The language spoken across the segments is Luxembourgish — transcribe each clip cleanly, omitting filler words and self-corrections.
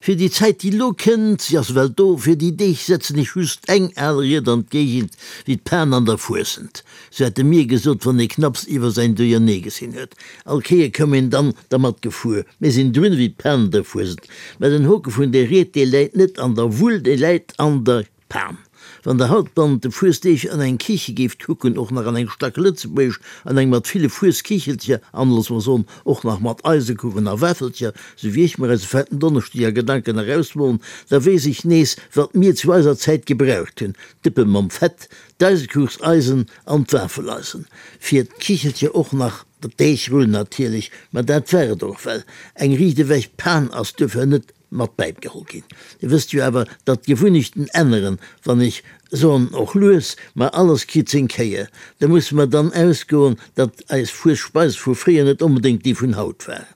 Fir déi Zäit, déi elo kënnt, si ass ewell do, fir déi Deeg setzen ech just eng al Ried an d'Géigend, wéi d'Pan an der Fuesent. Sou hat e mir gesot, wann ee knapps iwwer säin Duerjernee gesinn huet. All Kéier koum een dann dermat gefuer, Mir sinn drun ewéi d'Pan an der Fuesent. Mä den Hoke vun där Ried, dee läit net an der Wull, dee läit an der. Pan. Wann der haut bannent de Fuesdeeg an eng Kiche géift kucken, och nach an eng stack lëtzebuergesch, an eng mat ville Fueskichelcher an, loosse mer soen, och nach mat Eisekuchen a Wafelcher, sou wéi ech mer eise fetten Donneschdeg a Gedanken erausmolen, da weess ech nees, wat mir zu eiser Zäit gebraucht hunn, d'Dëppe mam Fett, d'Eisekuchseisen an d'Wafeleisen. Fir d'Kichelcher och nach d'Deegrull natierlech, ma dat war et och well. Eng riicht ewech Pan ass duerfir net mat bäigeholl ginn. Dir wësst jo awer, datt d'Gewunnechten änneren, wann ech soen och lues, ma alles kritt seng Kéier. Da musse mer dann ausgoen, datt eis Fuesspeis vu fréier net onbedéngt déi vun haut war.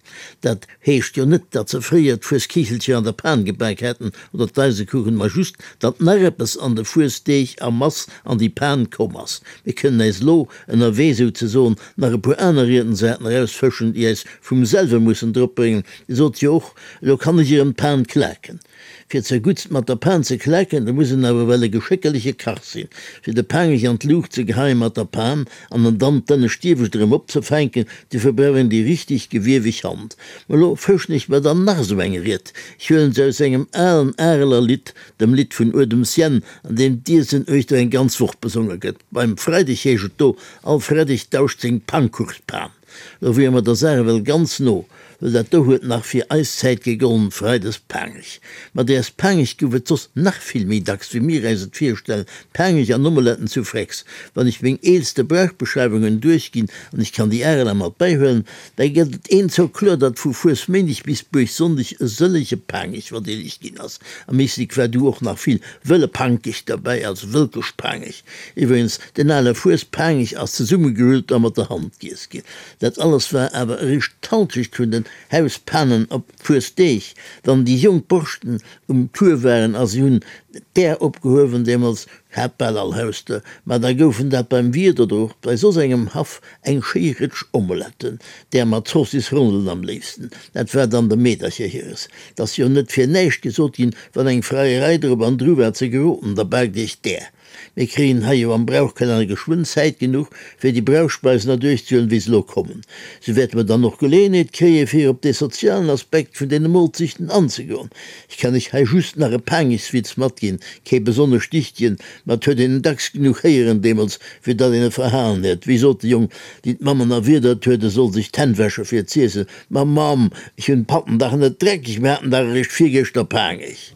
Dat heescht jo net, datt se fréier d'Fueskichelcher an der Pan gebak hätten oder d'Eisekuchen, ma just, datt nach eppes an de Fuesdeeg a Mass an déi Pan komm ass. Mir kënnen äis elo ënnerwee souzesoen nach e puer aner Riedensarten erausfëschen, déi äis vum selwe mussen dropbréngen, Dir sot jo och, Elo kann ech erëm d'Pan klaken. Fir zerguttst mat der Pan ze klaken, da muss en awer well e geschéckerleche Kach sinn. Fir de Paangech an d'Luucht ze geheien mat der Pan an en dann d'ënnescht Iewescht erëm opzefänken, dofir brauch een déi richteg gewieweg Hand. Ma elo fëschen ech mer dann nach esou eng Ried. Ech huelen se aus engem alen Areler Lidd, dem Lidd vun Uedems Jänn, an deem d'Iesen uechter eng ganz Woch besonge gëtt. Beim Freideg heescht et do, All Freideg dauscht seng Pannkuchspan. Lo wiere mer der Saach ewell ganz no, well dat do huet nach fir eis Zäit gegollen, Freides Paangech. Ma däers Paangech gouf et soss nach vill méi dacks, wéi mir äis et virstellen, Paangech an Omeletten zu Frex. Wann ech meng eelste Brauchbeschreiwungen duerchginn, an ech kann déi Areler mat bäihuelen, da gëtt et eenzock kloer, datt vu Fuesméindeg bis Buergsonndeg e sëllege Paangech verdeelegt ginn ass. Am Éislek war du och nach vill wëlle Pankech derbäi, also Wëlkeschpaangech. Iwwregens, den ale Fuespaangech ass zesummegerüllt a mat der Hand giess ginn. Dat alles war awer eréischt d'Halschecht vun den Hauspanen op Fuesdeeg, wann déi jonk Borschten um Tour waren a si hunn d'Är opgehuewen, deemools hat bal all Haus der, ma da goufen dat beim Wiert oder och bei soss engem Haff eng schéi Rëtsch Omeletten, där mat Zoossisrondelen am léifsten. Dat war dann de Meedercher hires. 't ass jo net fir näischt gesot ginn, wann eng Freierei drop an dru war ze geroden, da baakt iech d'Är. Mir kréien hei jo am Brauchkalenner geschwënn Zäit genuch, fir déi Brauchspeisen erduerchzehuelen, wéi se elo kommen. Sou wäerte mer dann och Geleeënheet kréien, fir op dee sozialen Aspekt vun deene Molzechten anzegoen. Ech kann iech hei just nach e Paangegswitz matginn, kee besonnesch dichtegen, ma et huet een en dacks genuch héieren deemools, fir datt een e verhalen huet. Wéi sot de Jong, deen d'Mammen erwiedert huet, e soll sech d'Hänn wäsche fir z'iessen, Ma Mamm, ech hunn d'Patten dach net dreckeg, mir haten dach eréischt virgëschter Paangech.